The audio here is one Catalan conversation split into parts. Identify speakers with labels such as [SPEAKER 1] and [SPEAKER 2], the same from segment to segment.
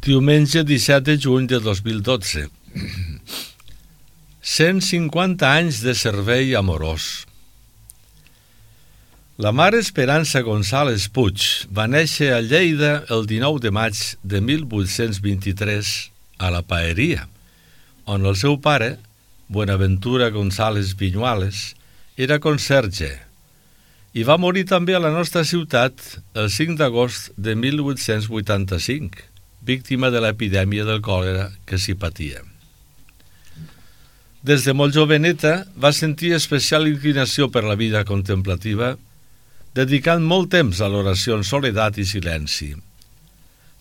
[SPEAKER 1] Diumenge 17 de juny de 2012. 150 anys de servei amorós. La mare Esperança González Puig va néixer a Lleida el 19 de maig de 1823 a la Paeria, on el seu pare, Buenaventura González Viñuales, era conserge, i va morir també a la nostra ciutat el 5 d'agost de 1885, víctima de l'epidèmia del còlera que s'hi patia. Des de molt joveneta va sentir especial inclinació per la vida contemplativa, dedicant molt temps a l'oració en soledat i silenci,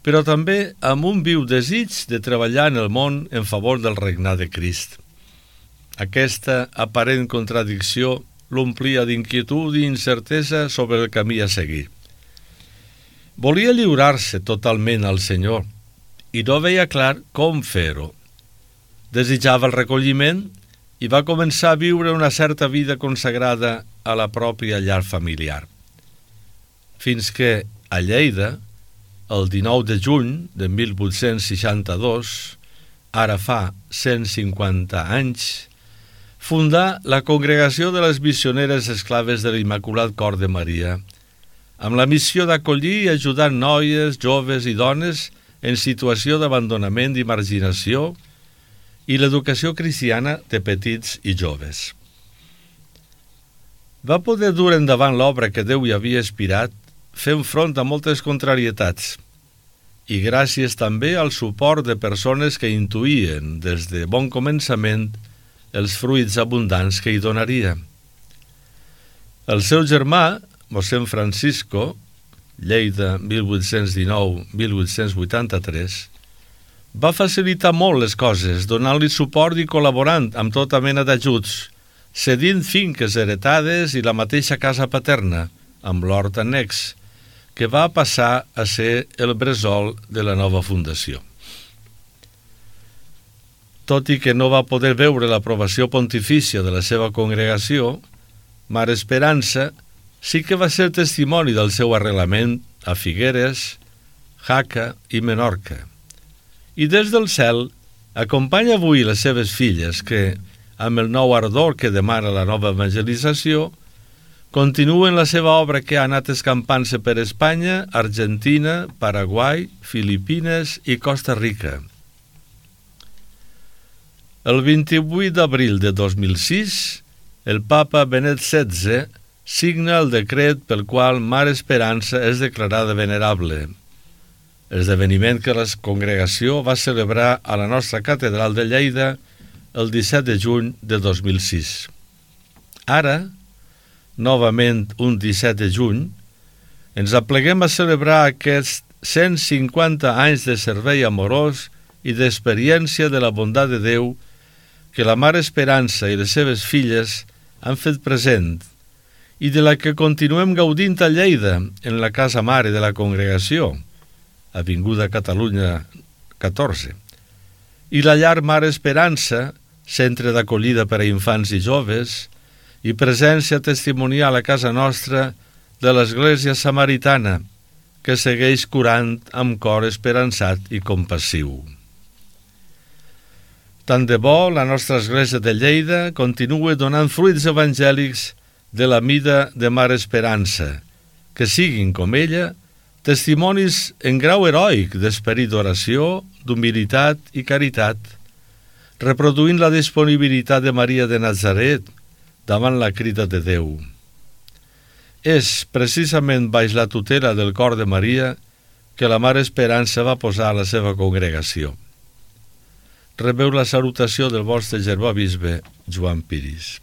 [SPEAKER 1] però també amb un viu desig de treballar en el món en favor del regnat de Crist. Aquesta aparent contradicció l'omplia d'inquietud i incertesa sobre el camí a seguir. Volia lliurar-se totalment al Senyor i no veia clar com fer-ho. Desitjava el recolliment i va començar a viure una certa vida consagrada a la pròpia llar familiar. Fins que, a Lleida, el 19 de juny de 1862, ara fa 150 anys, fundà la Congregació de les Missioneres Esclaves de l'Immaculat Cor de Maria, amb la missió d'acollir i ajudar noies, joves i dones en situació d'abandonament i marginació i l'educació cristiana de petits i joves. Va poder dur endavant l'obra que Déu hi havia inspirat, fent front a moltes contrarietats, i gràcies també al suport de persones que intuïen des de bon començament els fruits abundants que hi donaria. El seu germà, mossèn Francisco, Lleida 1819-1883, va facilitar molt les coses, donant-li suport i col·laborant amb tota mena d'ajuts, cedint finques heretades i la mateixa casa paterna, amb l'hort annex, que va passar a ser el bressol de la nova fundació. Tot i que no va poder veure l'aprovació pontifícia de la seva congregació, Mare Esperança sí que va ser testimoni del seu arrelament a Figueres, Jaca i Menorca. I des del cel acompanya avui les seves filles que, amb el nou ardor que demana la nova evangelització, continuen la seva obra que ha anat escampant-se per Espanya, Argentina, Paraguai, Filipines i Costa Rica. El 28 d'abril de 2006, el papa Benet XVI signa el decret pel qual Mare Esperança és declarada venerable, esdeveniment que la congregació va celebrar a la nostra catedral de Lleida el 17 de juny de 2006. Ara, novament un 17 de juny, ens apleguem a celebrar aquests 150 anys de servei amorós i d'experiència de la bondat de Déu que la Mare Esperança i les seves filles han fet present i de la que continuem gaudint a Lleida, en la casa mare de la congregació, Avinguda Catalunya 14, i la llar Mare Esperança, centre d'acollida per a infants i joves, i presència testimonial a casa nostra de l'Església Samaritana, que segueix curant amb cor esperançat i compassiu. Tant de bo la nostra Església de Lleida continue donant fruits evangèlics de la mida de Mare Esperança, que siguin, com ella, testimonis en grau heroic d'esperit d'oració, d'humilitat i caritat, reproduint la disponibilitat de Maria de Nazaret davant la crida de Déu. És precisament baix la tutela del cor de Maria que la Mare Esperança va posar a la seva congregació. Rebeu la salutació del vostre germà bisbe Joan Piris.